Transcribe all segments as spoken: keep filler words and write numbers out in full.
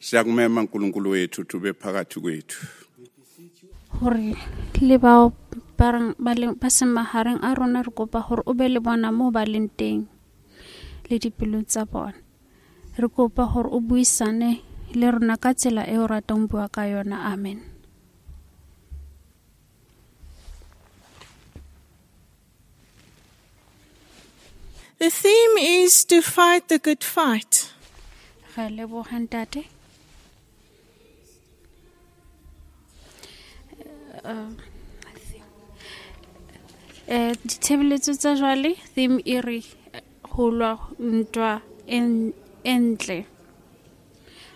Siyakumema uNkulunkulu wethu ukuthi ube phakathi kwethu. Hore le bao ba reng ba leng ba seng mahareng a rona, re kopa hore o be le bona moo ba leng teng le dipelong tsa bona. Re kopa hore o buisane le rona ka tsela eo o ratang ho bua ka yona. Amen. The theme is to fight the good fight. Re leboha ntate. Eh, ditshebeletso tsa jwale theme e re ho lwa ntwa e ntle.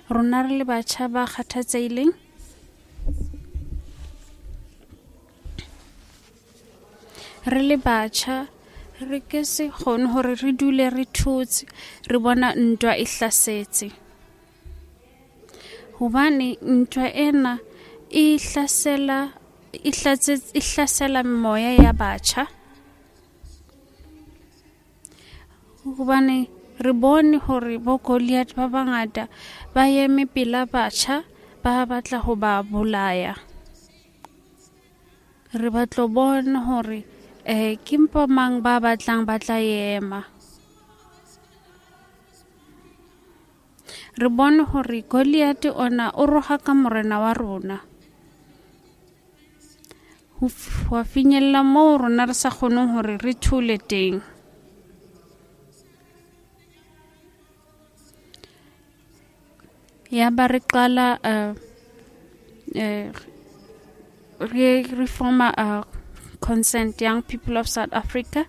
Rona re le batjha ba kgathatsehileng, re le batjha re ke se kgone hore re dule re thotse, re bona ntwa e hlasetse. Hobane ntwa ena e hlasela e hlatse e hlasela moya ya batjha. Hobane re bone hore bo Goliath ba bangata ba eme pela batjha ba batla ho ba bolaya. Re batlo bona hore eh ke mpo mang ba batlang ba tla ema. Re bone hore Goliath ona o roha ka morena wa rona. Ho wa finyella moo rona re sa kgoneng hore re thole teng. Ya ba re qala uh, eh re reforma uh, Consent Young People of South Africa.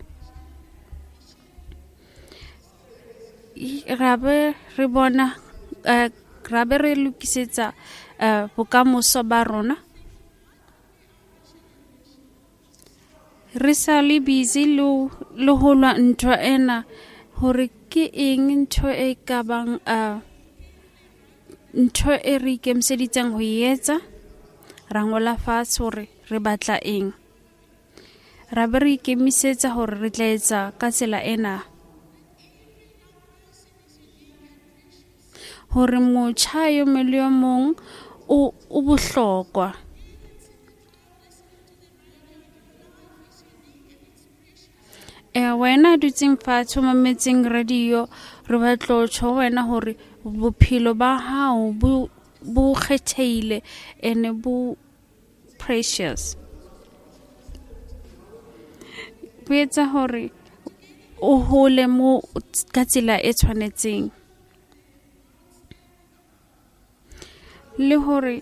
Ra be re bona uh, ra be re lokisetsa uh, bokamoso ba rona. Re sa le busy le le ho lwa ntwa ena hore ke eng ntho e ka bang uh, ntho e re ikemiseditseng ho e etsa. Ra ngola fatshe hore re batla eng. Ra be re ikemisetsa hore re tla etsa ka tsela ena. Hore motjha yo mong le yo mong o o bohlokwa. Eh wena dutseng fatshe o mametseng radio, re batla ho tjho wena hore bophelo ba hao bo bo kgethehile ene bo precious. Bo etsa hore o hole mo ka tsela e tshwanetseng. Le hore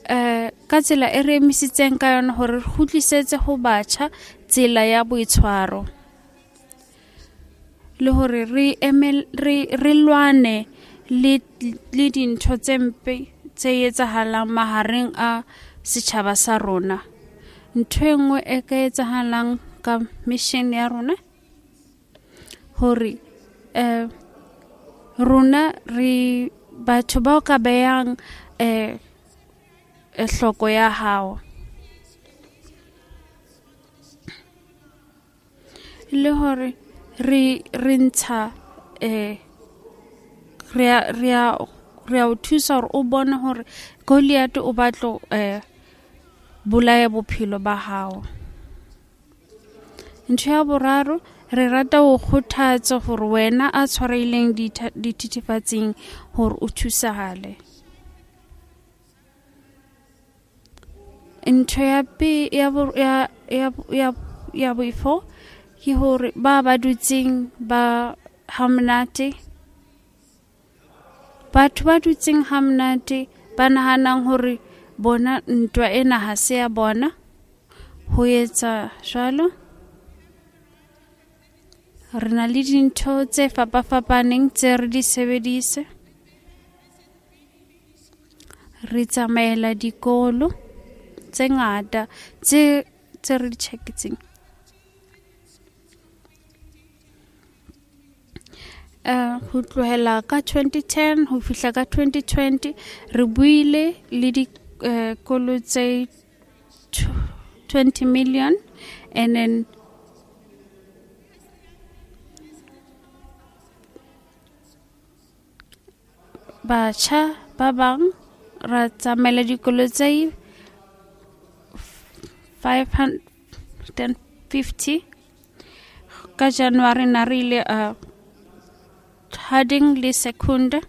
eh ka tsela e re emisitseng ka yona hore re kgutlisetse ho batjha tsela ya boitshwaro. Le hore re emel re re lwane le le dintho tse mpe tse etsahalang mahareng a setjhaba sa rona. Ntho e nngwe e ka etsahalang ka mission ya rona hore eh rona re batho bao ka behang eh hloko ya hao. Le hore re re ntsha eh re a re a re a o thusa hore o bone hore Goliath o batlo eh bolaya bophelo ba hao. Ntho ya boraro, re rata ho kgothatsa hore wena a tshwarehileng dithethefatsing hore o thusahale. Ntho ya pe ya ya ya ya ya boifo ke hore ba ba dutseng ba hamonate, batho ba dutseng hamonate ba nahanang hore bona ntwa ena ha se ya bona. Ho etsa jwalo re na le dintho tse fapafapaneng tse re di sebedise. Re tsamaela dikolo tse ngata tse tse re di tjheketseng. Uh, ho tlohela ka twenty ten ho fihla ka twenty twenty re buile le dikolo uh, tse twenty million and then batjha ba bang ra tsamaela dikolo tse five hundred fifty. Ka January na re ile uh, Harding le Secunda.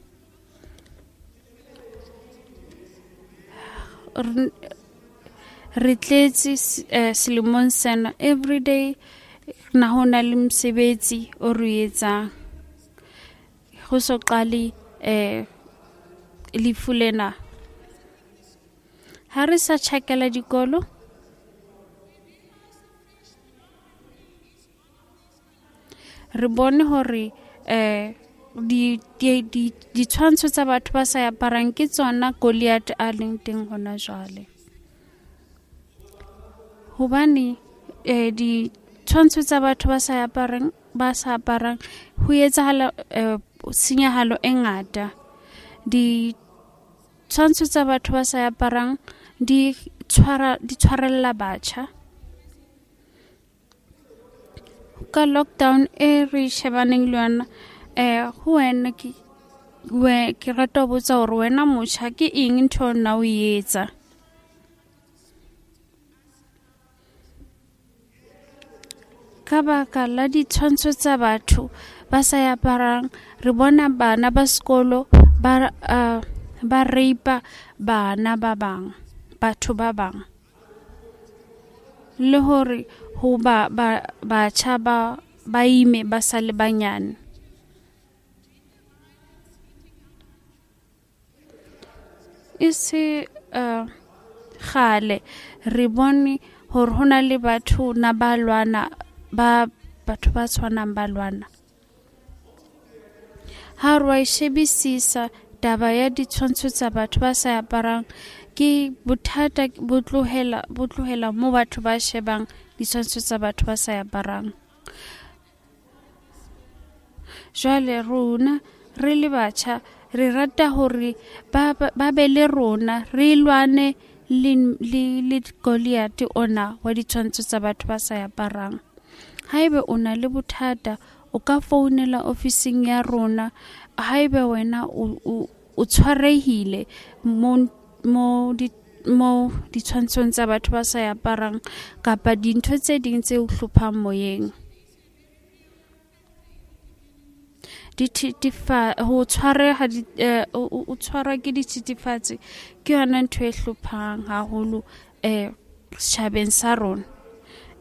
Re tletse uh, selemong sena everyday na ho na le mosebetsi o re etsang ho so qale eh lefu lena. Ha re sa tjhakela dikolo, re bone hore eh di di ditshwantsho tsa batho ba sa aparang ke tsona Goliath a leng teng hona jwale. Hobane eh ditshwantsho tsa batho ba sa aparang ba sa aparang ho etsahala eh, senyahalo e ngata. Ditshwantsho tsa batho ba sa aparang di tshwara di tshwarella batjha. Ka lockdown e re shebaneng le yona, eh ho wena ke we ke rata ho botsa hore wena motjha ke eng ntho nna o e etsa? Ka baka la ditshwantsho tsa batho ba sa aparang, re bona bana ba sekolo ba uh, ba rape bana ba bang, batho ba bang. Le hore ho ba ba batjha ba ba ime ba sa le banyane. E se uh, kgale re bone hore ho na le batho na ba lwana ba batho ba tshwanang ba lwana. Ha re wa e shebisisa taba ya ditshwantsho tsa batho ba sa aparang, ke bothata bo tlohela bo tlohela mo batho ba shebang ditshwantsho tsa batho ba sa aparang. Jwale rona re le batjha re rata hore ba ba be le rona re lwane le le le Goliath ona wa ditshwantsho tsa batho ba sa aparang. Haebe o na le bothata o ka founela ofising ya rona. Haebe wena o o tshwarehile mo mo di mo ditshwantshong tsa batho ba sa aparang kapa dintho tse ding tse o hlophang moyeng. Dithethefa ho tshwareha di o tshwarwa ke dithethefatsi ke yona ntho e hlophang haholo eh setjhabeng sa rona.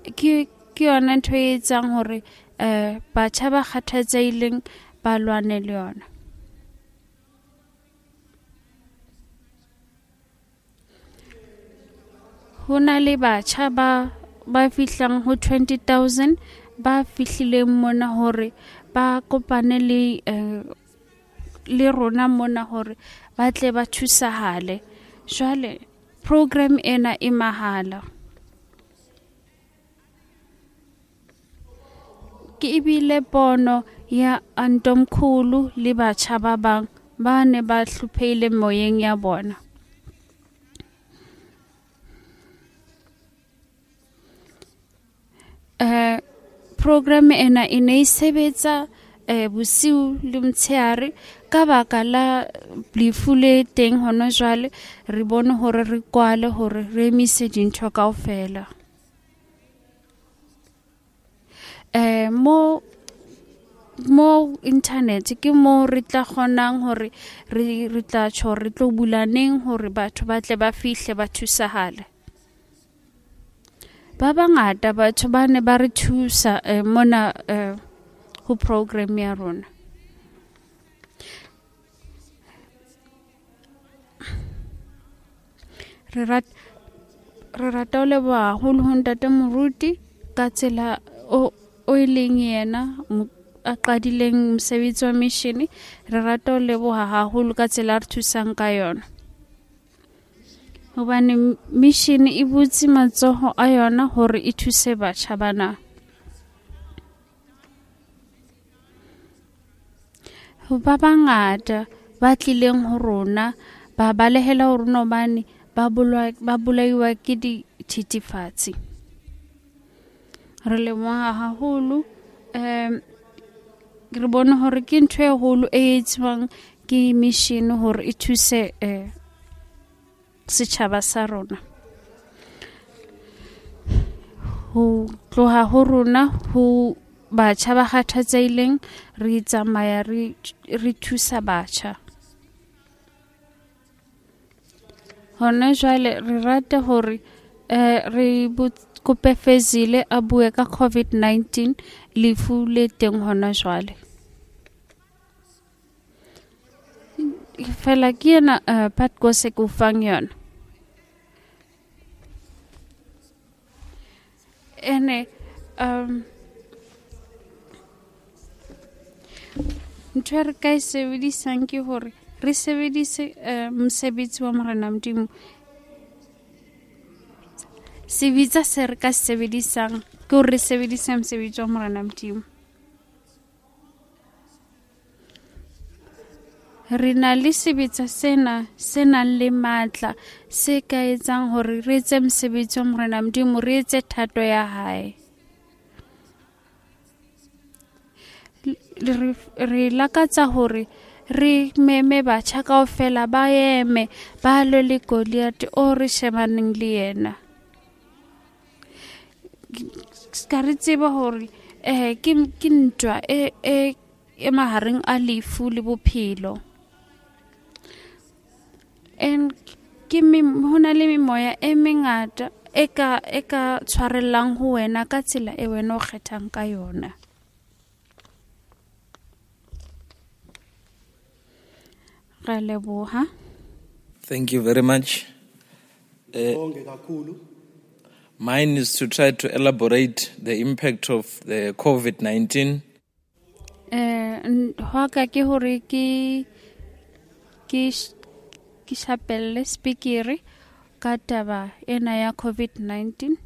Ke ke yona ntho e etsang hore eh batjha ba kgathatsehileng ba lwane le yona. Ho na le batjha ba ba fihlang ho twenty thousand ba fihlileng mona hore ba kopane le eh, le rona mona hore ba tle ba thusahale. Jwale program ena e mahala. Ke ebile pono ya Antomkhulu le batjha ba bang ba ne ba hlophehile moyeng ya bona. Eh program ena e ne e sebetsa eh bosiu le motshehare ka baka la lefu le teng hona jwale. Re bone hore re kwale hore re emise dintho kaofela. Eh mo mo internet ke mo re tla kgonang hore re re tla tjho re tlo bula neng hore batho ba tle ba fihle ba thusahale. Ba bangata batho ba ne ba re thusa eh, mona eh, ho program ya rona. Re rat re rata ho leboha haholo ho ntate Moruti ka tsela o o e leng yena a qadileng mosebetsi wa mission. Re rata ho leboha haholo ka tsela a re thusang ka yona. Hobane mission e butse matsoho a yona hore e thuse batjha bana. Ho ba bangata ba tlileng ho rona ba balehela ho rona hobane ba bolwa ba bolaiwa ke dithethefatsi. Re leboha haholo, eh re bone hore ke ntho e holo e etswang ke mission hore e thuse eh setjhaba sa rona. Ho tloha ho rona ho batjha ba kgathatsehileng, re tsamaya re re thusa batjha. Hona jwale re rata hore eh re kope Fezile a bue ka COVID nineteen, lefu le teng hona jwale. Fela ke yena uh, Padkos e ke o fang yona. Ene um ntho e re ka e sebedisang ke hore re sebedise uh, mosebetsi wa Morena Modimo. Sebetsa se re ka se sebedisang ke hore re sebedise mosebetsi wa Morena Modimo. Re na le sebetsa sena se nang le matla se ka etsang hore re etse mosebetsi wa Morena Modimo, re etse thato ya hae. Re, re lakatsa hore re meme batjha kaofela ba eme ba lwe le Goliath o re shebaneng le yena. Ska re tseba hore eh ke ke ntwa e e e mahareng a lefu le bophelo. En ke me hona le memoya e mengata e ka e ka tshwarellang ho wena ka tsela e wena o kgethang ka yona. Re leboha. Thank you very much. Uh, mine is to try to elaborate the impact of the COVID nineteen. Eh hwa ka ke hore ke ke ke shapelle speakere ka taba ena ya COVID nineteen.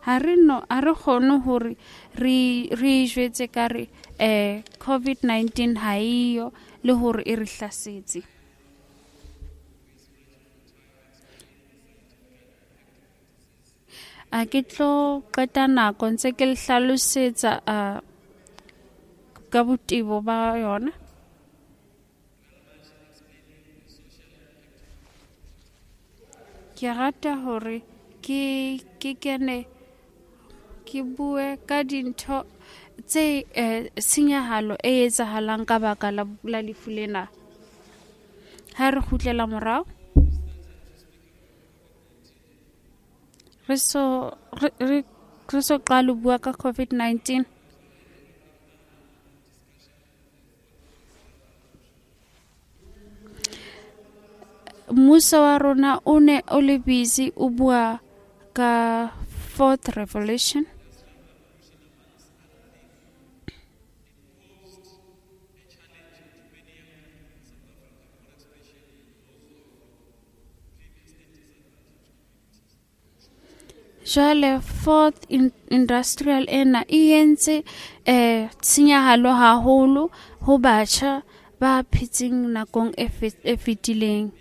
Ha re no a re kgone hore re re jwetse ka re eh COVID nineteen ha iyo le hore e re hlasetse. A ke tlo qeta nako ntse ke le hlalosetsa a ka botebo ba yona. Ke rata hore ke ke kene ke bue ka dintho tse eh, tshenyahalo e etsahalang ka baka la, la lefu lena. Ha re kgutlela morao re so re re so qala ho bua ka COVID nineteen. Mmuso wa rona o ne o le busy o bua ka fourth revolution. Jwale fourth in, industrial ena e entse eh tshenyahalo haholo ho batjha ba phetseng nakong e e fetileng.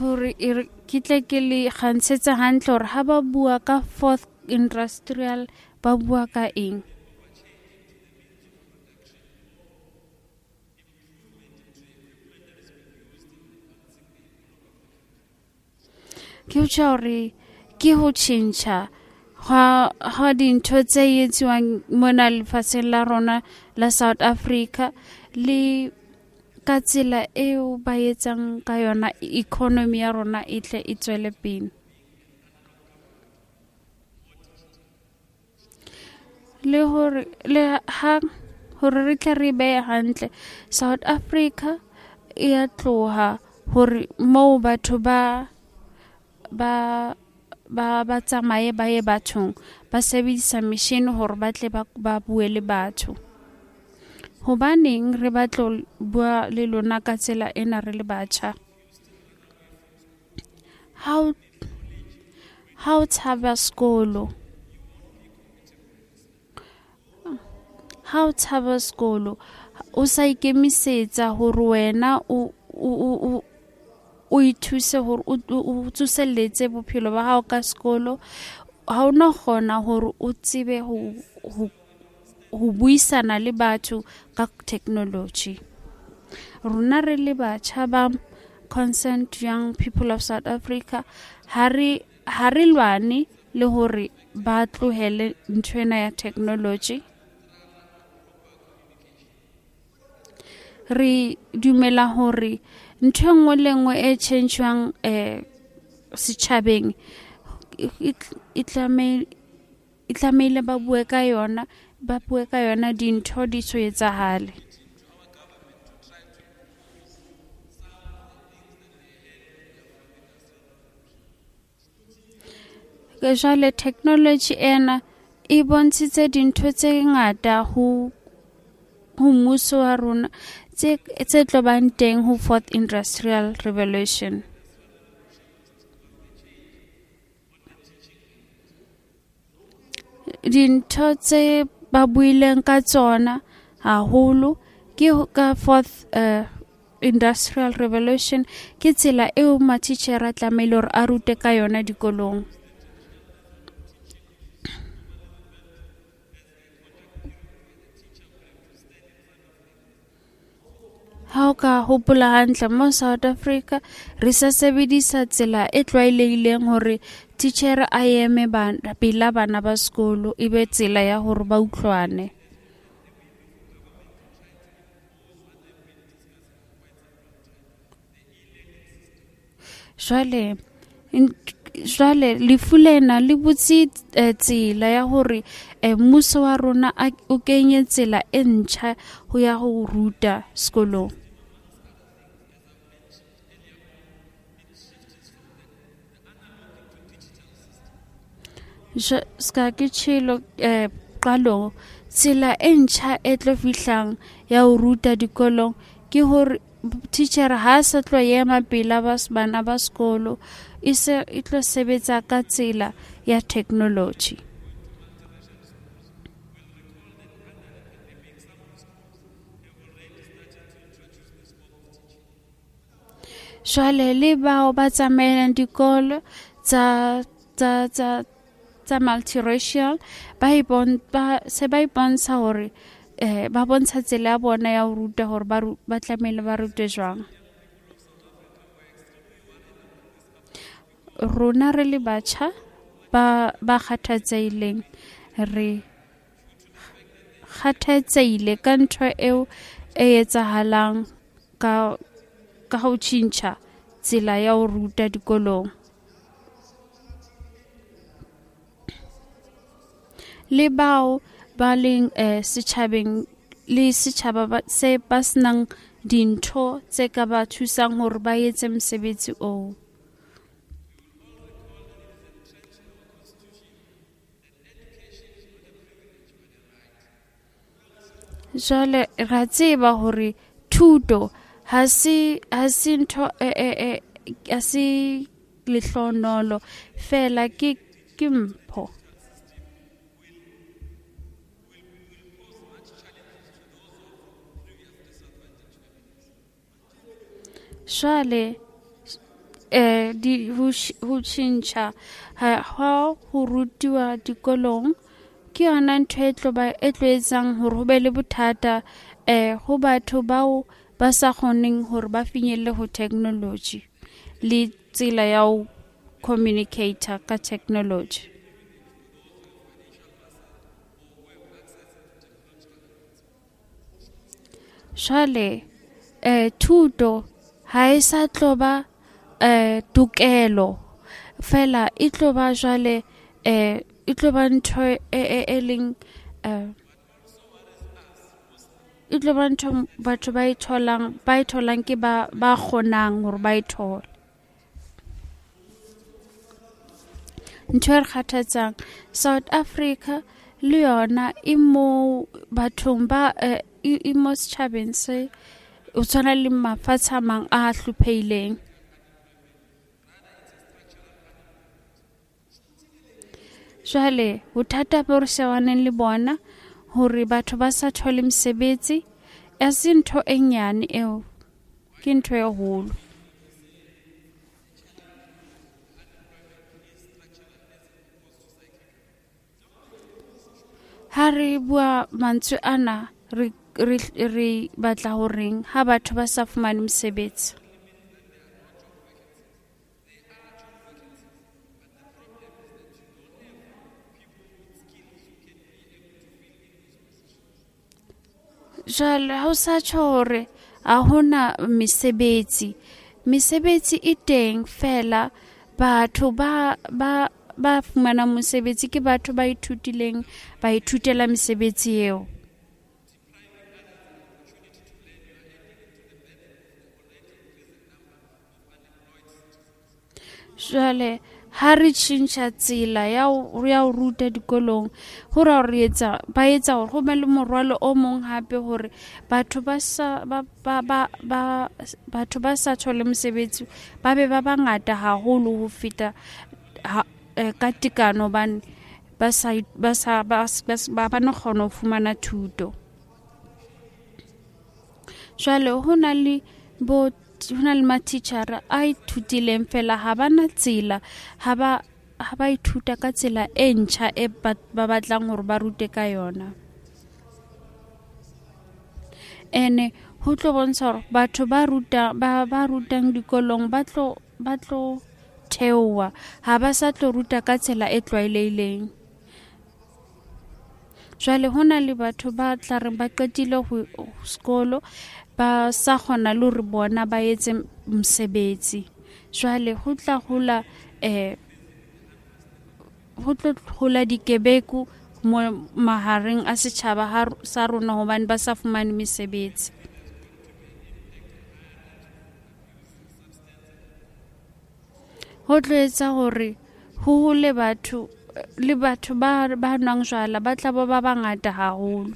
Hore e ke tle ke le kgantshetsa hantle hore ha ba bua ka fourth industrial ba bua ka eng. Ke ho tjho hore ke ho tjhentjha ha ha dintho tse etsiwang mona lefatsheng la rona la South Africa le ka tsela eo ba etsang ka yona economy ya rona e tle e tswele pele. Le hore le ha hore re tle re behe hantle, South Africa e ya tloha hore moo batho ba ba ba ba tsamaye ba ye bathong ba sebedisa machine hore ba tle ba ba bue le batho. Hobaneng re batlo bua le lona ka tsela ena re le batjha? How how tshaba sekolo, ha o tshaba sekolo o sa ikemisetsa hore wena o o o ithuse hore o tsoselletse bophelo ba hao ka sekolo, ha o no kgona hore o tsebe ho ho ho buisana le batho ka technology. Rona re le batjha ba Concerned Young People of South Africa ha re ha re lwane le hore ba tlohele nthwena ya technology. Re dumela hore ntho e nngwe le nngwe e tjhentjhwang eh setjhabeng e tlameile e tlameile ba bue ka yona, ba bue ka yona dintho di so etsahale. Jwale technology ena e bontshitse dintho tse ngata ho ho mmuso wa rona tse tse tlo bang teng ho fourth industrial revolution. Dintho tse ba buileng ka tsona haholo ke ka fourth uh, industrial revolution ke tsela eo matitjhere a tlamehile hore a rute ka yona dikolong. Ha o ka hopola hantle mo South Africa re sa sebedisa tsela e tlwaelehileng hore titjhere a eme bana pela bana ba sekolo e be tsela ya hore ba utlwane. Jwale jwale lefu lena le butse tsela ya hore mmuso wa rona o kenye tsela e ntjha ho ya ho ruta sekolong. Ska ke tjhelo eh qalong tsela e ntjha e tlo fihlang ya ho ruta dikolong ke hore teacher ha sa tlo ema pela ba bana ba sekolo e se e tlo sebetsa ka tsela ya technology. Jwale le bao ba tsamaelang dikolo tsa tsa tsa tsa multiracial ba ipon ba se ba ipontsha hore eh ba bontsha tsela ya bona ya ho ruta hore ba ba tlamehile ba rute jwang. Rona re le batjha ba ba kgathatsehileng re kgathatsehile ka ntho eo e etsahalang ka ka ho tjhentjha tsela ya ho ruta dikolong. Le bao ba leng eh setjhabeng le setjhaba ba se ba senang dintho tse ka ba thusang hore ba etse mosebetsi oo. Jwale ra tseba hore thuto ha se ha se ntho e e ha se lehlonolo fela ke ke mpho. Jwale eh di ho tjhentjha ha ho rutiwa dikolong ke yona ntho e tlo ba e tlo etsang hore ho be le bothata eh ho batho bao ba sa kgoneng hore ba finyelle ho technology le tsela ya ho communicate ka technology. Jwale eh thuto ha e sa tlo ba eh tokelo fela e tlo ba jwale eh e tlo ba ntho e e leng eh e tlo ba ntho batho ba e tholang ba e tholang ke ba ba kgonang hore ba e thole. Ntho e re kgathatsang South Africa le yona e mo bathong ba e mo setjhabeng se o tshwana le mafatshe a mang a hlopheileng. Jwale bothata bo re shebaneng le bona hore batho ba sa thole mesebetsi a se ntho e nyane eo, ke ntho e holo. Ha re bua mantswe ana re re re batla horeng ha batho ba sa fumane mosebetsi. Jwale ha o sa tjho hore ha hona mesebetsi, mesebetsi e teng fela batho ba ba ba fumanang mosebetsi ke batho ba ithutileng, ba ithutela mesebetsi eo. Jwale ha re tjhentjha tsela ya ho ya ho ruta dikolong, ho ra re etsa ba etsa hore ho be le morwalo o mong hape hore batho ba sa ba ba ba ba batho ba sa thole mosebetsi ba be ba bangata haholo ho feta ha, eh, ka tekano hobane ba sa ba sa ba ba ba no kgona ho fumana thuto. Jwale ho na le bo ho na le matitjhere a ithutileng fela ha ba na tsela, ha ba ha ba ithuta ka tsela e ntjha e ba ba batlang hore ba rute ka yona. Ene ho tlo bontsha hore batho ba ruta ba ba rutang dikolong ba tlo ba tlo theoha, ha ba sa tlo ruta ka tsela e tlwaelehileng. Jwale ho na le batho ba tla reng ba qetile ho sekolo ba sa kgona le hore bona ba etse mosebetsi. Jwale ho tla hola eh ho tlo hola dikebeku mo mahareng a setjhaba ha sa rona hobane ba sa fumane mesebetsi. Ho tlo etsa hore ho hole batho le batho ba ba nwang jwala ba tla ba ba bangata haholo.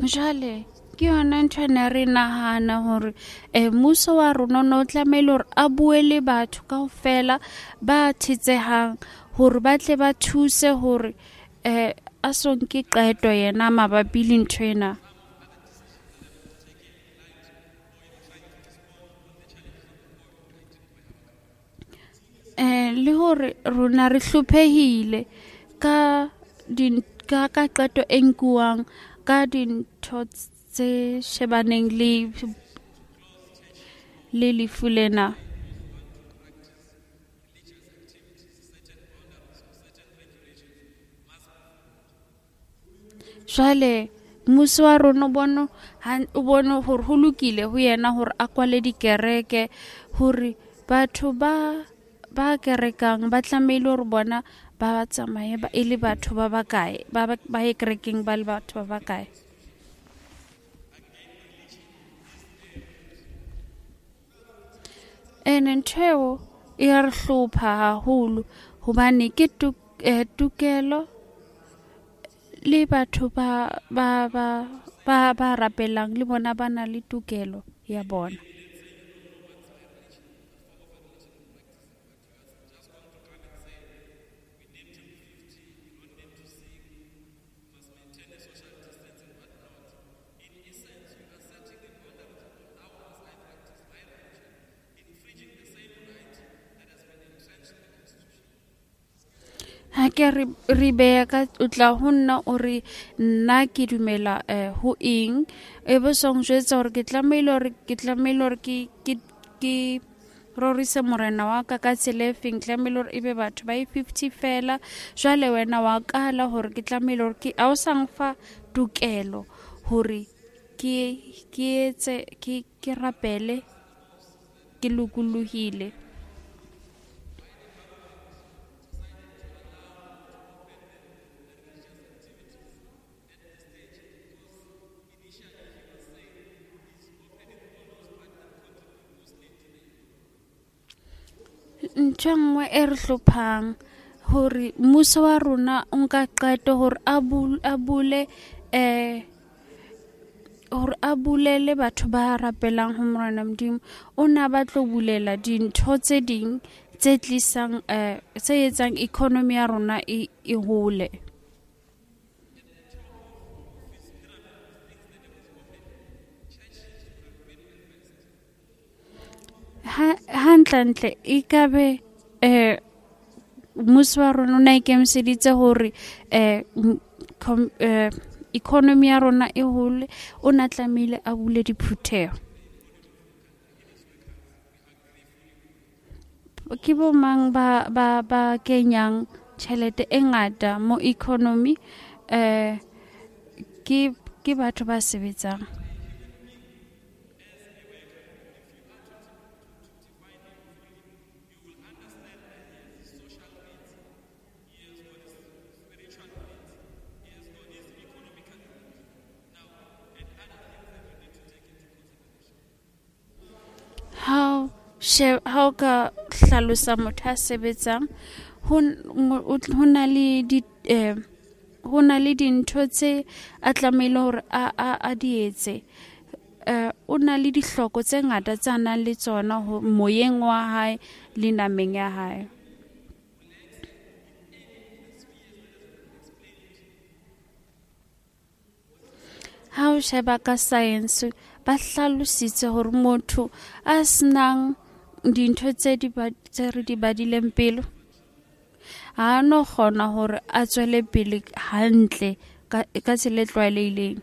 Jwale ke yona ntho e ne re nahana hore eh mmuso wa rona o no tlamehile hore a bue le batho kaofela ba thetsehang hore ba tle ba thuse hore eh a so nke qeto yena mabapi le ntho ena. Eh le hore rona re hlophehile ka din ka ka qeto e nkuwang ka dintho tse shebaneng le le lefu lena. Jwale mmuso wa rona o bone o bone hore ho lokile ho yena hore a kwale dikereke hore batho ba ba kerekang ba tlamehile hore bona ba tsamaye ba e le batho ba bakae, ba ba ye kerekeng ba le batho ba bakae. Ene ntho eo e ya re hlopha haholo hobane ke tokelo le batho ba ba ba ba ba rapelang le bona ba na le tokelo ya bona. Ha ke re re beha ka o tla ho nna o re nna ke dumela eh ho eng, e be so njwetsa hore ke tlamehile hore ke tlamehile hore ke ke ke rorise morena wa ka ka tsela e feng, tlamehile hore ebe batho ba e fifty fela. Jwale wena wa kala hore ke tlamehile hore ke a o sa mfa tokelo hore ke ke etse ke ke rapele ke lokolohile. Ntho e nngwe e re hlophang hore mmuso wa rona o nka qeto hore a a bule eh hore a bulele batho ba rapelang ho Morena Modimo. O na ba tlo bulela dintho tse ding tse tlisang eh tse etsang economy ya rona e e hole. Hantlentle e ka be eh mmuso wa rona o na ikemiseditse hore eh economy ya rona e hole, o na tlamehile a bule diphutheho. Ke bo mang ba ba ba kenyang tjhelete e ngata mo economy? Eh ke ke batho ba sebetsang. Ha ha o ka hlalosa motho a sebetsang, ho na le di eh ho na le dintho tse a tlamehile hore a a a di etse. Eh o na le dihloko tse ngata tse a nang le tsona ho moyeng wa hae le nameng ya hae. Ha o sheba ka science, ba hlalositse hore motho a senang dintho tse di tse re di badileng pele ha no kgona hore a tswele pele hantle ka ka tsela e tlwaelehileng.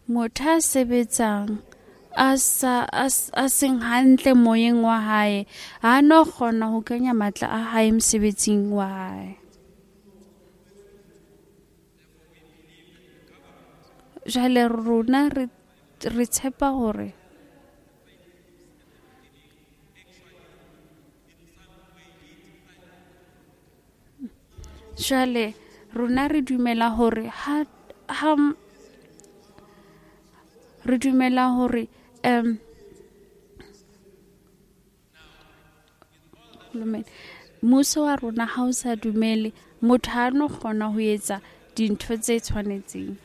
Motho a sebetsang a sa a seng hantle moyeng wa hae ha no kgona ho kenya matla a hae mosebetsing wa hae. Jwale rona re re tshepa hore jwale rona re dumela hore ha ha re dumela hore um mmuso wa rona ha o sa dumele motho ha no kgona ho etsa dintho tse tshwanetseng.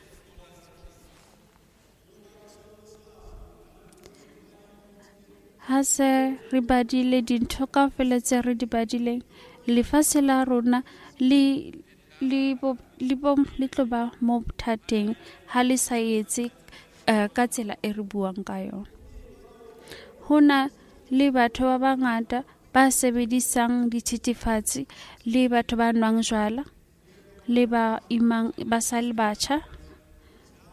Ha se re badile dintho kaofela tse re di badileng, lefatshe la rona le le bo le bo le tlo ba mo bothateng ha le sa etse ka tsela e re buang ka yona. Ho na le batho ba bangata ba sebedisang dithethefatsi le batho ba nwang jwala le ba imang ba sa le batjha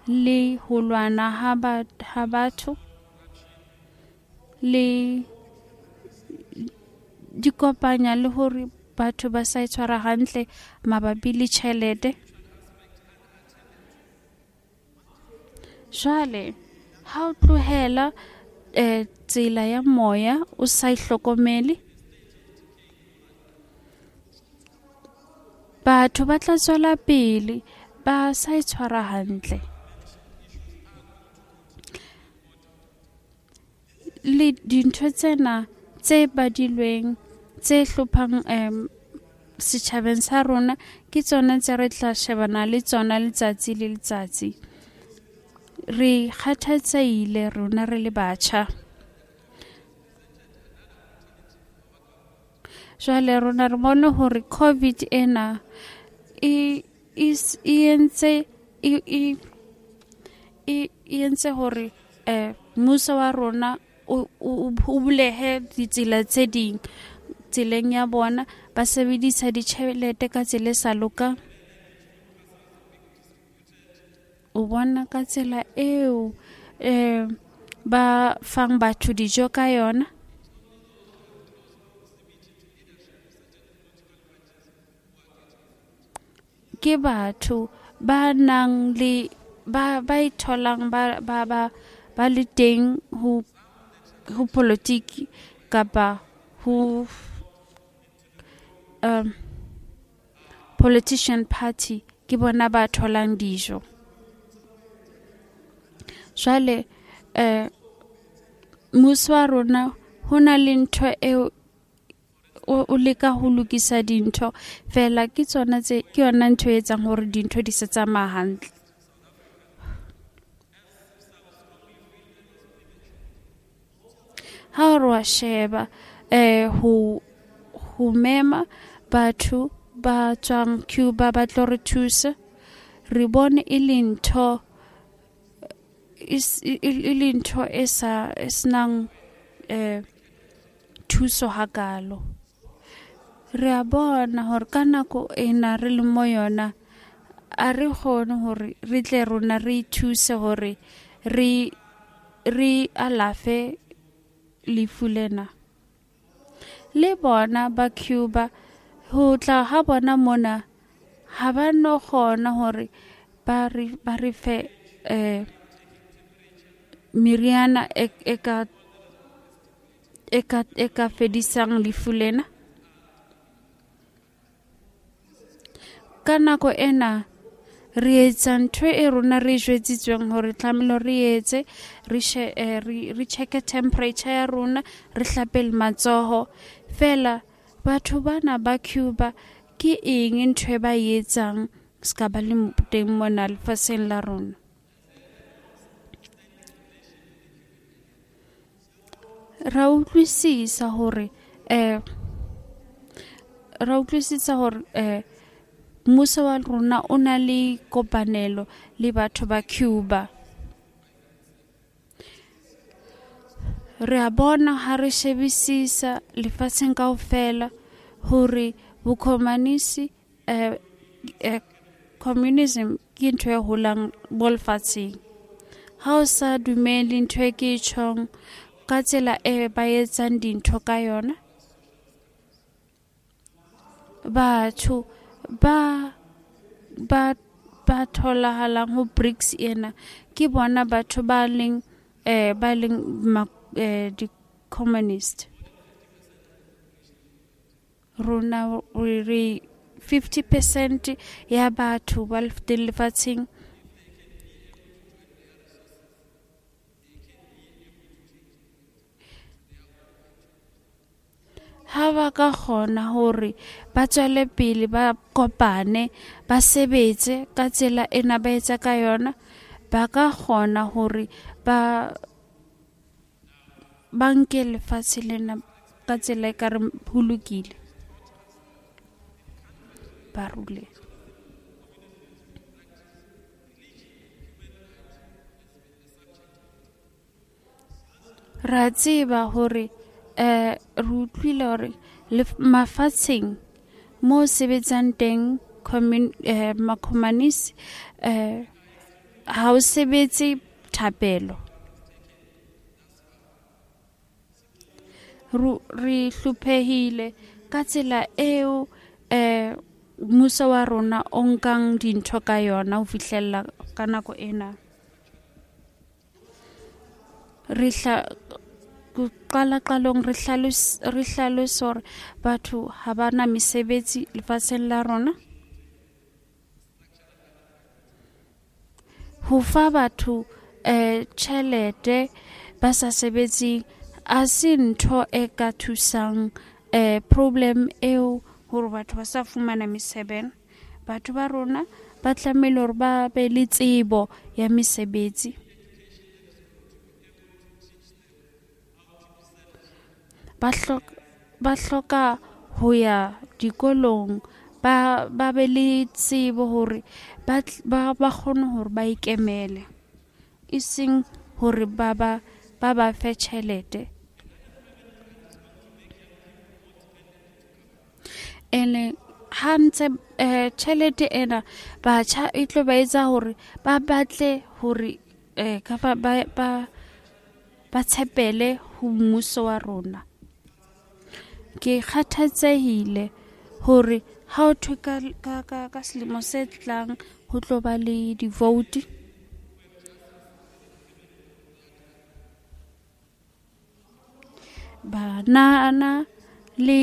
le ho lwana ha ba ha batho le di kopanya le hore batho ba sa itshwara hantle mabapi le tjhelete. Jwale ha o tlohela eh tsela ya moya o sa ihlokomele, batho ba tla tswela pele ba sa itshwara hantle. Le dintho tsena tse badilweng tse hlophang um setjhabeng sa rona ke tsona tse re tla shebana le tsona letsatsi le letsatsi. Re kgathatsehile rona re le batjha. Jwale rona re bone hore COVID ena e e entse e e entse hore eh mmuso wa rona o o bulehe ditsela tse ding tseleng ya bona, ba sebedisa ditjhelete ka tsela e sa lokang. O bona ka tsela eo eh ba fang batho dijo ka yona. Ke batho ba nang le ba ba itholang ba ba ba ba le teng ho ho politiki kapa ho um politician party, ke bona ba tholang dijo. Jwale eh mmuso wa rona ho na le ntho eo o leka ho lokisa dintho fela, ke tsona tse ke yona ntho e etsang hore dintho di se tsamaya hantle. Ha o re wa sheba eh ho ho mema batho ba tswang Cuba ba tlo re thusa, re bone e le ntho e le ntho e sa e senang eh thuso hakalo. Re a bona hore ka nako ena re le mo yona a re kgone hore re tle rona re ithuse hore re re alafe lefu lena. Le bona ba Cuba ho tla ha bona mona ha ba no kgona hore ba re ba re fe eh meriana e e ka e ka e ka fedisang lefu lena. Ka nako ena re etsa ntho e rona re jwetsitsweng hore tlamehile re etse re re re check temperature ya rona, re hlape le matsoho. Fela batho bana ba Cuba ke eng ntho e ba e etsang ska ba le teng mona lefatsheng la rona? Ra utlwisisa hore eh ra utlwisisa hore eh mmuso wa rona o na le kopanelo le batho ba Cuba. Re a bona ha re shebisisa lefatsheng kaofela hore bokomanisi eh, eh, communism ke ntho e holang mo lefatsheng. Ha o sa dumele ntho e ke e tjhong ka tsela e ba etsang dintho ka yona, batho ba ba ba tholahalang ho BRICS ena ke bona batho ba leng eh ba leng eh, di-communist. Rona re fifty percent ya batho ba teng lefatsheng ha ba ka kgona hore ba tswele pele ba kopane ba sebetse ka tsela ena ba etsa ka yona, ba ka kgona hore ba ba nke lefatshe lena ka tsela e ka re ho lokile, ba rule. Ra tseba hore eh re utlwile hore mafatsheng mo sebetsang teng eh makomanisi eh ha o sebetse thapelo. Re hlophehile ka tsela eo eh mmuso wa rona o nkang dintho ka yona ho fihlella ka nako ena. Re hla qala qalong re hlalose re hlalose hore batho ha ba na mesebetsi lefatsheng la rona. Ho fa batho eh tjhelete ba sa sebetseng a se ntho e ka thusang eh problem eo hore batho ba sa fumana mesebetsi. Batho ba rona ba tlamehile hore ba be le tsebo ya mesebetsi. Ba hloka ba hloka ho ya dikolong ba ba be le tsebo hore ba ba ba kgone hore ba ikemele, e seng hore ba ba ba ba fe tjhelete. Ene ha ntse eh tjhelete ena batjha e tlo ba etsa hore ba batle hore eh ka ba ba ba tshepele ho mmuso wa rona. Ke kgathatsehile hore ha o thwe ka ka ka ka selemo se tlang ho tlo ba le di-vote. Banana le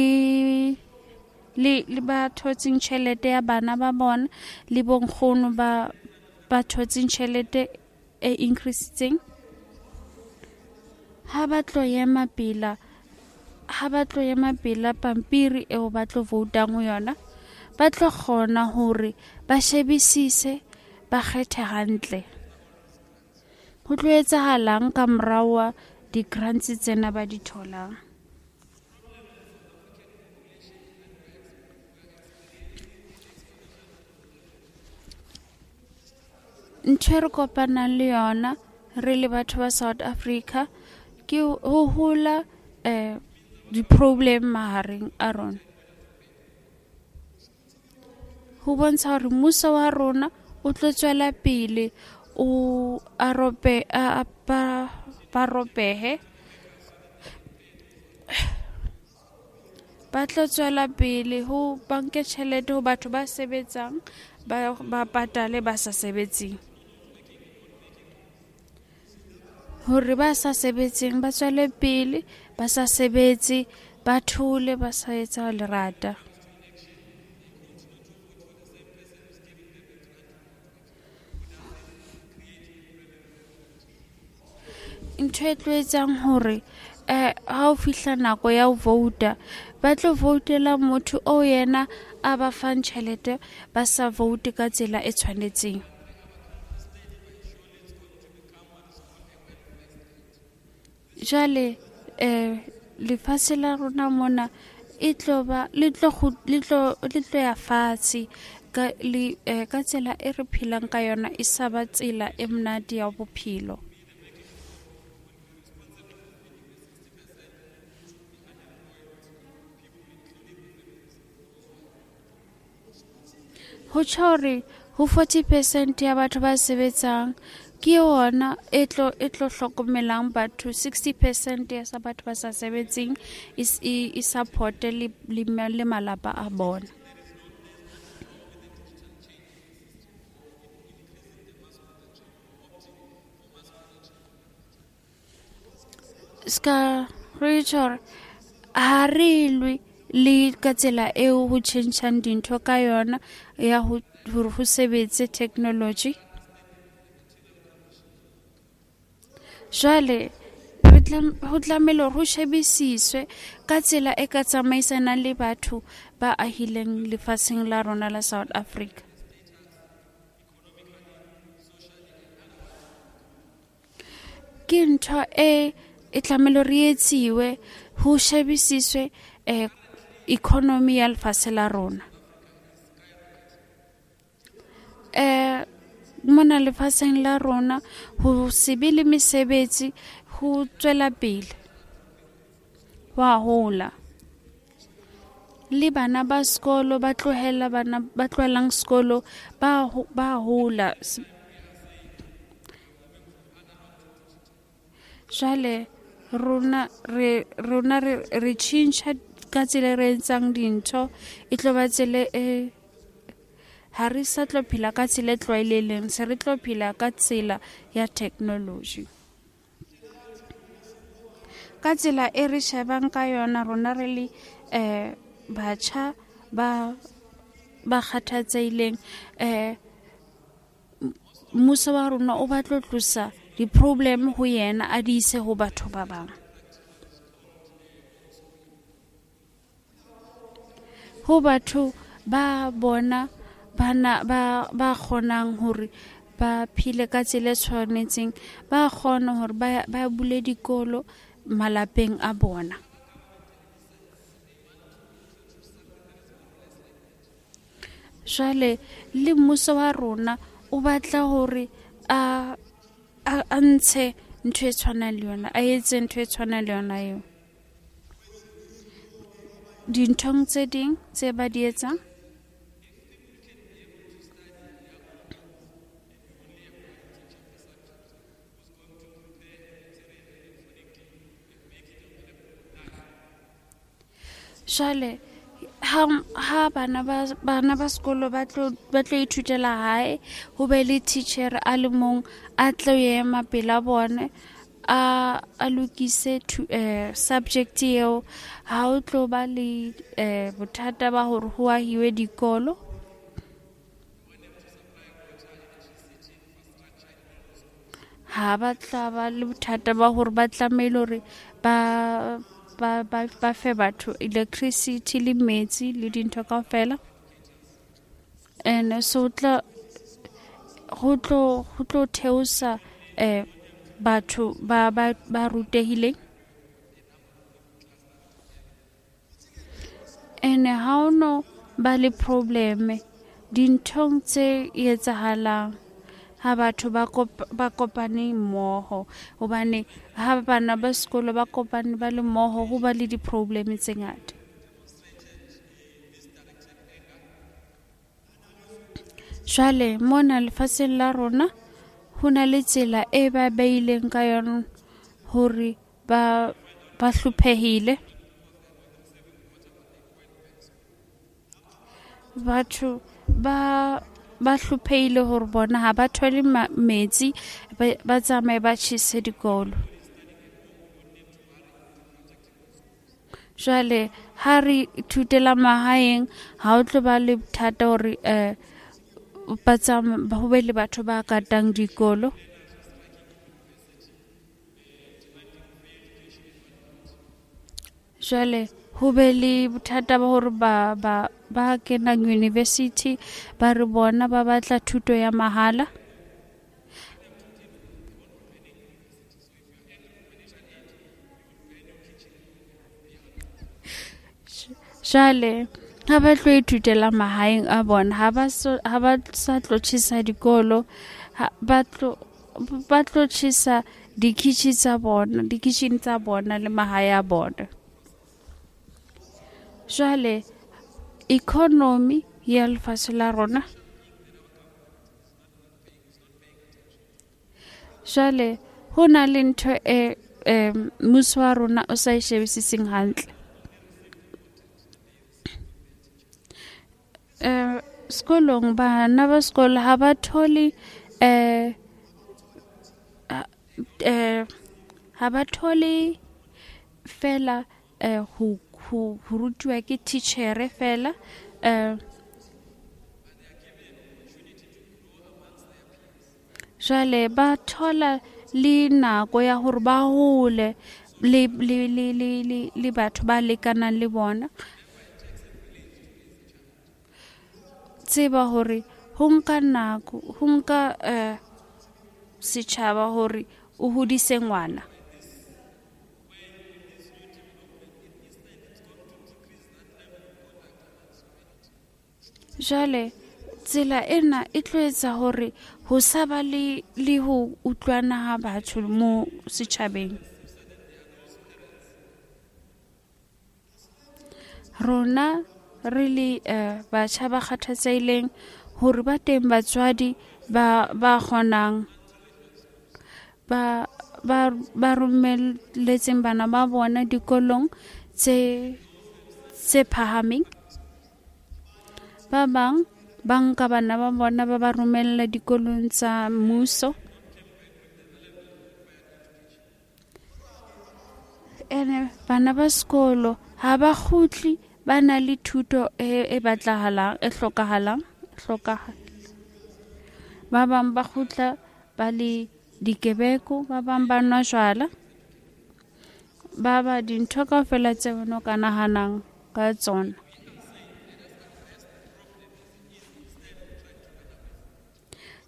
le le ba thotseng tjhelete ya bana ba bona le bonkgono ba ba thotseng tjhelete e increasitseng, ha ba tlo ema pela ha ba tlo ema pela pampiri eo ba tlo voutang ho yona, ba tlo kgona hore ba shebisise ba kgethe hantle. Ho tlo etsahalang ka morao wa di-grants tsena ba di tholang? Ntho e re kopanang le yona re le batho ba South Africa ke ho hola eh di-problem mahareng a rona. Ho bontsha hore mmuso wa rona o tlo tswela pele o a rope a ba ba ropehe ba tlo tswela pele ho banke tjhelete ho batho ba sebetsang ba ba patale ba sa sebetseng. Hore ba sa sebetseng ba tswele pele ba sa sebetse ba thole ba sa etsa lerata. Ntho e tlo etsang hore eh ha o fihla nako ya ho vouta ba tlo voutela motho o yena a ba fang tjhelete ba sa voute ka tsela e tshwanetseng. Jwale eh lefatshe la rona mona e tlo ba le tlo le tlo le tlo ya fatshe ka le ka tsela e re phelang ka yona e sa ba tsela e monate ya bophelo. Ho tjho hore ho forty percent ya batho ba sebetsang ke yona e tlo e tlo hlokomelang batho, sixty percent ya sa batho ba sa sebetseng e support le le malapa a bona. Ska re tjho ha re lwe le ka tsela eo ho tjhentjhang dintho ka yona ya ho hore ho sebetse technology. Jwale ho tlamehile hore ho shebisiswe ka tsela e ka tsamaisanang le batho ba ahileng lefatsheng la rona la South Africa. Ke ntho e e tlamehile hore e etsiwe ho shebisiswe eh economy ya lefatshe la rona. Eh mona lefatsheng la rona ho se be le mesebetsi ho tswela pele wa hola le bana ba sekolo ba tlohela bana ba tlohelang sekolo ba ba hola. Jwale rona re rona re re tjhentjha ka tsela re etsang dintho e tlo ba tsela e ha re sa tlo phela ka tsela e tlwaelehileng, se re tlo phela ka tsela ya technology. Ka tsela e re shebang ka yona rona re le eh batjha ba ba kgathatsehileng eh mmuso wa rona o batla ho tlosa di-problem ho yena a di ise ho batho ba bang. Ho batho ba bona bana ba ba kgonang hore ba phile ka tsela e tshwanetseng, ba kgona hore ba ba bule dikolo malapeng a bona. Jwale le mmuso wa rona o batla hore a a ntshe ntho e tshwanang le yona, a etse ntho e tshwanang le yona eo. Dinthong tse ding tse ba di etsang jwale ha ha bana ba bana ba sekolo ba tlo ba tlo ithutela hae ho be le teacher a le mong a tlo ema pela bone a a lokise eh subject eo, ha o tlo ba le eh bothata ba hore ho ahiwe dikolo. Ha ba tla ba le bothata ba hore ba tlamehile hore ba ba ba ba fe batho electricity le metsi le dintho kaofela. And so tla ho tlo ho tlo theosa eh batho ba ba ba rutehileng. And ha o no ba le problem dinthong tse etsahalang, ha batho ba ba kopane mmoho, hobane ha bana ba sekolo ba kopane ba le mmoho ho ba le di-problem tse ngata. Jwale mona lefatsheng la rona ho na le tsela e ba beileng ka yona hore ba ba hlophehile. Batho ba ba hlophehile hore bona ha ba thole metsi, ba tsamaye ba tjhese dikolo. Jwale ha re ithutela mahaeng ha o tlo ba le bothata hore eh ba tsamaye ho be le batho ba katang dikolo. Jwale ho be le bothata ba hore ba ba ba kenang university ba re bona ba batla thuto ya mahala. Jwale ha ba tlo ithutela mahaeng a bona, ha ba so ha ba sa tlo tjhesa dikolo, ba tlo ba tlo tjhesa dikitchen tsa bona, dikitchen tsa bona le mahae a bona. Jwale economy ya lefatshe la rona, jwale ho na le ntho e mmuso wa rona o sa e shebisiseng hantle. Eh sekolong bana ba sekolo ha ba thole eh eh ha ba thole fela eh ho ho rutiwa ke teacher fela eh jwale ba thola le nako ya hore ba hole le le le le le batho ba lekanang le bona. Tseba hore ho nka nako, ho nka eh setjhaba hore o hodise ngwana. Jwale tsela ena e tlo etsa hore ho sa ba le le ho utlwana ha batho mo setjhabeng. Rona re le eh batjha ba kgathatsehileng hore ba teng batswadi ba ba kgonang ba ba ba romelletseng bana ba bona dikolong tse tse phahameng. Ba bang ba nka bana ba bona ba ba romella dikolong tsa mmuso. Ene bana ba sekolo ha ba kgutli ba na le thuto e e batlahalang, e hlokahalang, hlokahala. Ba bang ba kgutla ba le dikebeko, ba bang ba nwa jwala, ba ba dintho kaofela tse wena o ka nahanang ka tsona.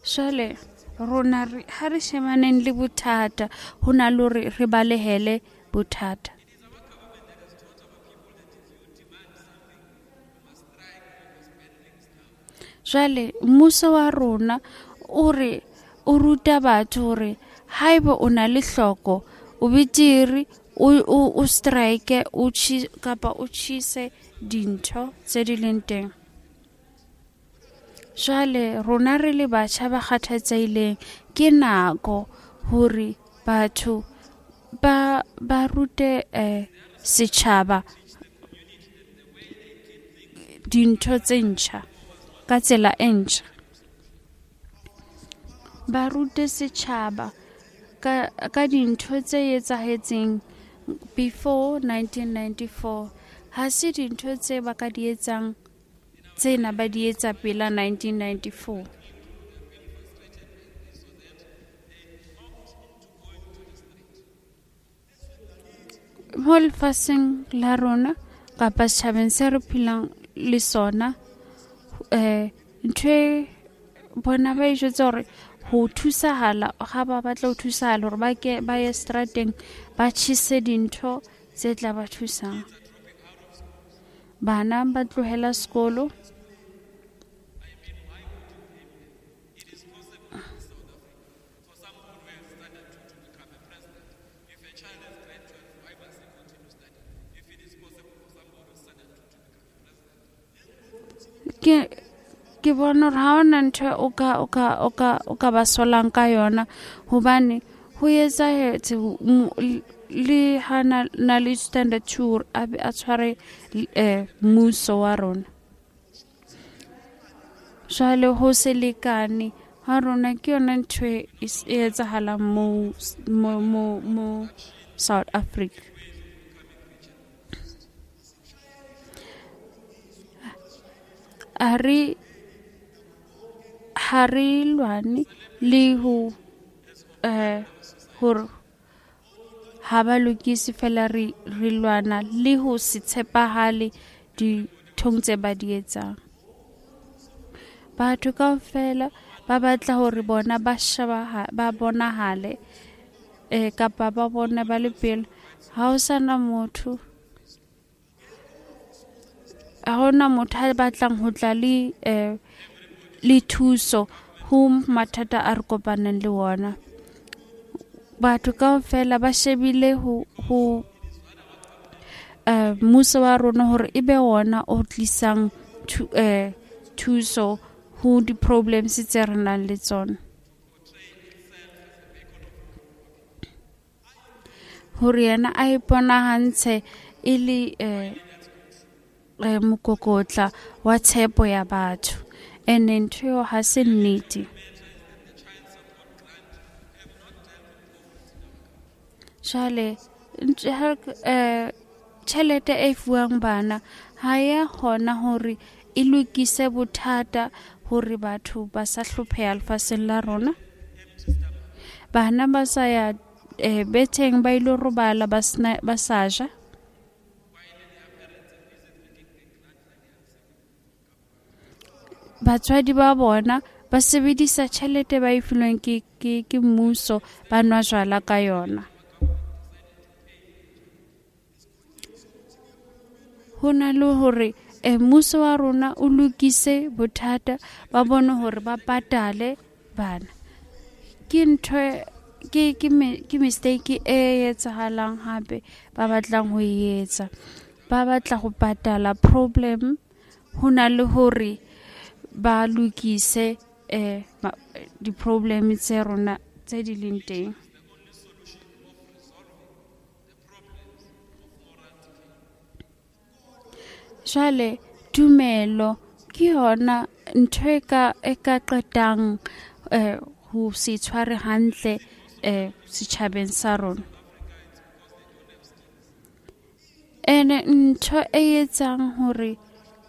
Jwale rona re ha re shebaneng le bothata, ho na le hore re balehele bothata. Jwale mmuso wa rona o re o ruta batho hore haeba o na le hloko o betere o o strike o chi kapa o tjhese dintho tse di leng teng. Jwale rona re le batjha ba kgathatsehileng ke nako hore batho ba ba rute eh setjhaba dintho tse ntjha ka tsela e ntjha. Ba rute setjhaba ka ka dintho tse etsahetseng before nineteen ninety-four. Ha se dintho tse ba ka di etsang tsena ba di etsa pela nineteen ninety-four. Mo lefatsheng la rona kapa setjhabeng se re phelang le sona, eh ntho e bona ba e jwetsa hore ho thusahala ha ba batla ho thusahala hore ba ke ba ye strateng ba tjhese dintho tse tla ba thusang. Bana ba tlohela sekolo. Ke ke bona hore ha hona ntho o ka o ka o ka o ka ba solang ka yona, hobane ho etsahetse le ha na, na le standard two a be a tshware eh, mmuso wa rona. Jwale ho se lekane ha rona ke yona ntho e e etsahalang mo mo mo mo South Africa. Ha re ha re lwane le ho eh hore ha ba lokise fela, re re lwana le ho se tshepahale dinthong tse ba di etsang. Batho kaofela ba batla hore bona ba shebaha ba bonahale eh kapa ba bone ba le pele. Ha ho sana motho, ha hona motho a batlang ho tla le eh le thuso ho mathata a re kopaneng le ona. Batho kaofela ba shebile ho ho eh mmuso wa rona hore ebe ona o tlisang thu, eh thuso ho di-problems tse re nang le tsona. Hore yena a iponahantshe e le eh, eh, mokokotla wa tshepo ya batho. Ene ntho eo ha se nnete. Jwale ntho ha eh tjhelete e fuwang bana ha ya kgona hore e lokise bothata hore batho ba sa hlopheha lefatsheng la rona. Bana ba sa ya eh, betheng ba ilo robala ba sena ba sa ja. Batswadi ba bona ba sebedisa tjhelete ba e filweng ke ke ke mmuso, ba nwa jwala ka yona. Ho na le hore eh, mmuso wa rona o lokise bothata ba bone hore ba patale bana. Ke ntho ke ke me, ke mistake e etsahalang hape ba batlang ho e etsa. Ba batla ho patala problem ho na le hore ba lokise eh di-problem tse rona tse di leng teng. Jwale tumelo ke yona ntho e ka e ka qetang eh ho se tshware hantle eh setjhabeng sa rona. Ene ntho e etsang hore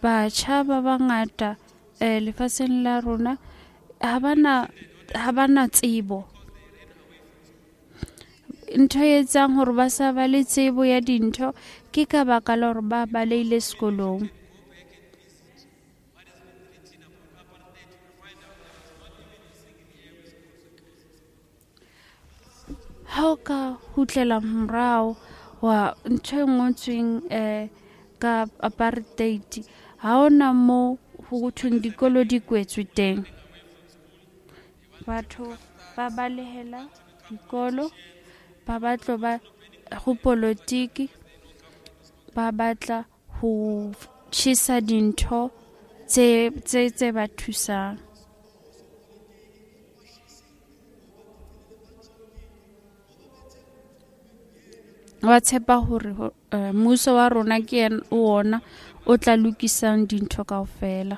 batjha ba bangata eh lefatsheng la rona ha bana ha bana tsebo. Ntho e etsang hore ba sa ba le tsebo ya dintho ke ka baka la hore ba balehile sekolong. Ha o ka kgutlela morao wa ntho e ngotsweng eh ka apartheid, ha hona mo ho thweng dikolo di kwetswe teng. Batho ba balehela dikolo, ba batla ba ho politiki, ba batla ho tjhesa dintho tse tse tse ba thusang. Ba tshepa hore eh, mmuso wa rona ke yena ona o tla lokisang dintho kaofela.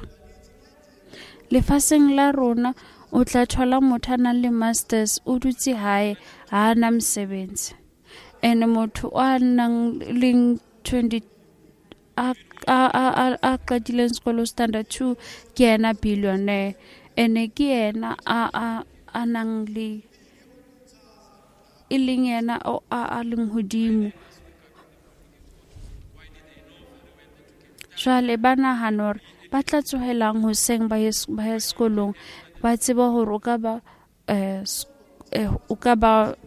Lefatsheng la rona o tla thola motho a nang le masters o dutse hae, ha ana mosebetsi. Ene motho a nang leng twenty a a a a qetileng sekolo standard two ke yena billionaire. Ene ke yena a a a nang le e leng yena o a a leng hodimo. Jwale ba nahana hore ba tla tsohelang hoseng ba ye ba ye sekolong, ba tseba hore o ka ba eh o ka ba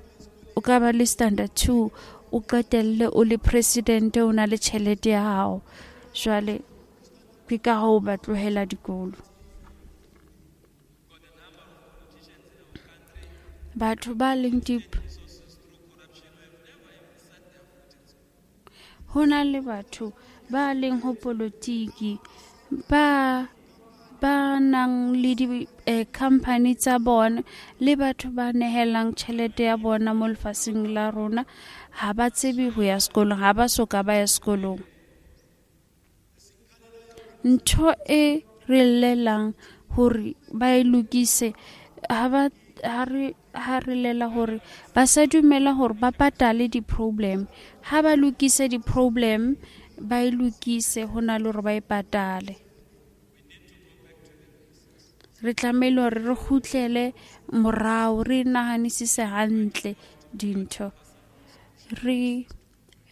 o ka ba le standard two, o qetelle o le president, o na le tjhelete ya hao. Jwale ke ka hoo ba tlohela dikolo. Batho ba leng deep, ho na le batho ba leng ho politiki ba ba nang le di-company tsa bona le batho ba nehelang tjhelete ya bona mo lefatsheng la rona ha ba tsebe ho ya sekolong, ha ba soka ba ya sekolong. Ntho e re llelang hore ba e lokise ha ba ha re ha re llela hore ba sa dumela hore ba patale di-problem. Ha ba lokise di-problem, ba e lokise ho na le hore ba e patale. Re tlamehile hore re kgutlele morao, re nahanisise hantle dintho. Re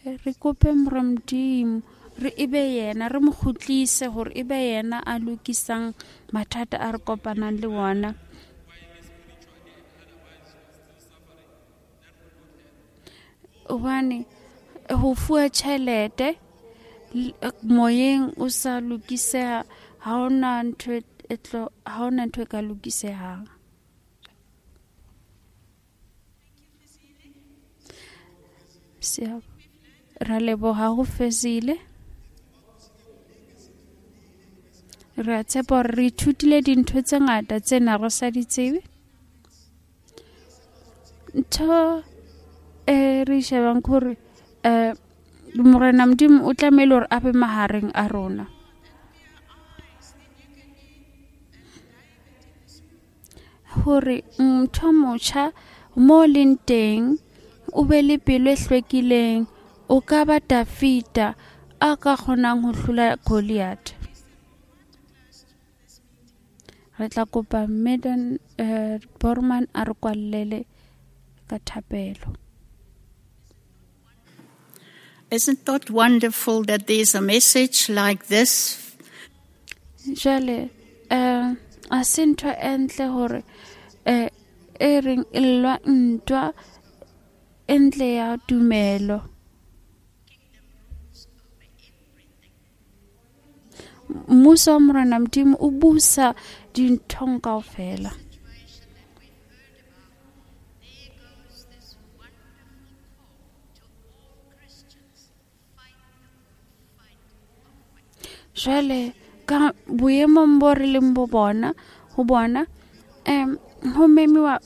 re kope Modimo re ebe yena, re mo kgutlise hore ebe yena a lokisang mathata a re kopanang le ona. Hobane ho fuwa tjhelete moyeng o sa lokiseha, ha hona ntho e tlo, ha hona ntho e ka lokisehang. Ra leboha ho Fezile. Re a tshepa hore re ithutile dintho tse ngata tse na re sa di tsebe. Ntho e re shebang ke hore eh Morena Modimo o tlamehile hore a be mahareng a rona. Hore motho motjha mo leng teng o be le pelo e hlwekileng, o ka ba Dafita a ka kgonang ho hlola Goliath. Re tla kopa Madam eh, Borman a re kwallele ka thapelo. Isn't that wonderful that there's a message like this? Jwale eh a se ntho e ntle hore eh e reng e lwa ntwa e ntle ya tumelo. Mmuso wa Morena Modimo o busa dinthong kaofela. Jwale ka boemong bo re leng bo bona ho bona em ho memiwa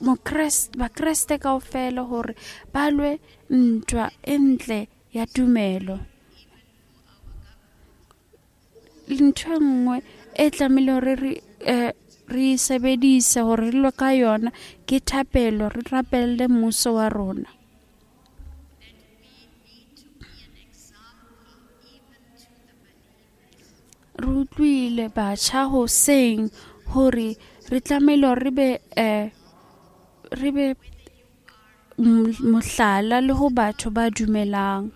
mokreste bakreste kaofela hore ba lwe ntwa e ntle ya tumelo. Ntho e nngwe e tlamehile hore re eh, re sebedise hore re lwe ka yona ke thapelo, re rapelle mmuso wa rona. Re utlwile batjha hoseng hore re tlamehile hore re be eh, re be mohlala le ho batho ba dumelang.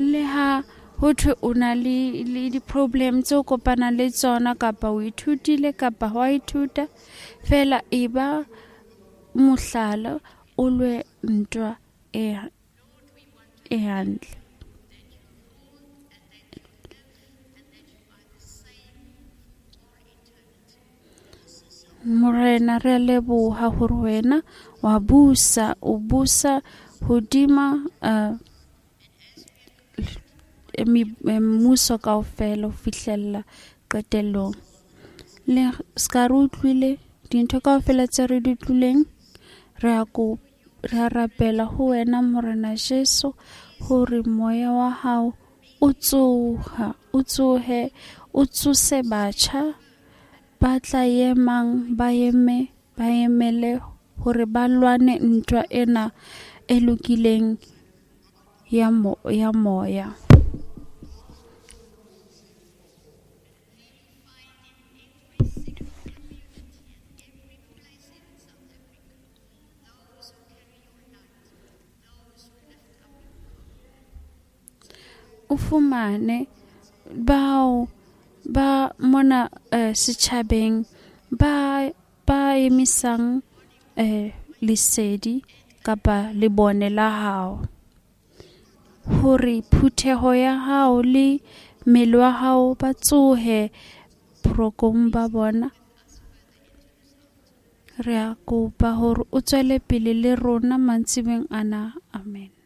Le ha ho thwe o na le le di-problem tseo kopanang le tsona, kapa o ithutile kapa ha wa ithuta, fela e ba mohlala, o lwe ntwa e e hantle. Morena, re a leboha hore wena wa busa, o busa hodima uh, mmuso kaofela ho fihlella qetellong. Le ska re utlwile dintho kaofela tse re di utlwileng, re a ko re a rapela ho wena Morena Jesu hore moya wa hao o tsoha, o tsohe, o tsose batjha ba tla emang, ba eme, ba emele hore ba lwane ntwa ena e lokileng ya mo, ya moya. O fumane bao ba mona eh, setjhabeng ba ba emisang eh, lesedi kapa lebone la hao, hore phutheho ya hao le mmele wa hao ba tsohe borokong ba bona. Re a kopa hore o tswele pele le rona mantsibeng ana. Amen.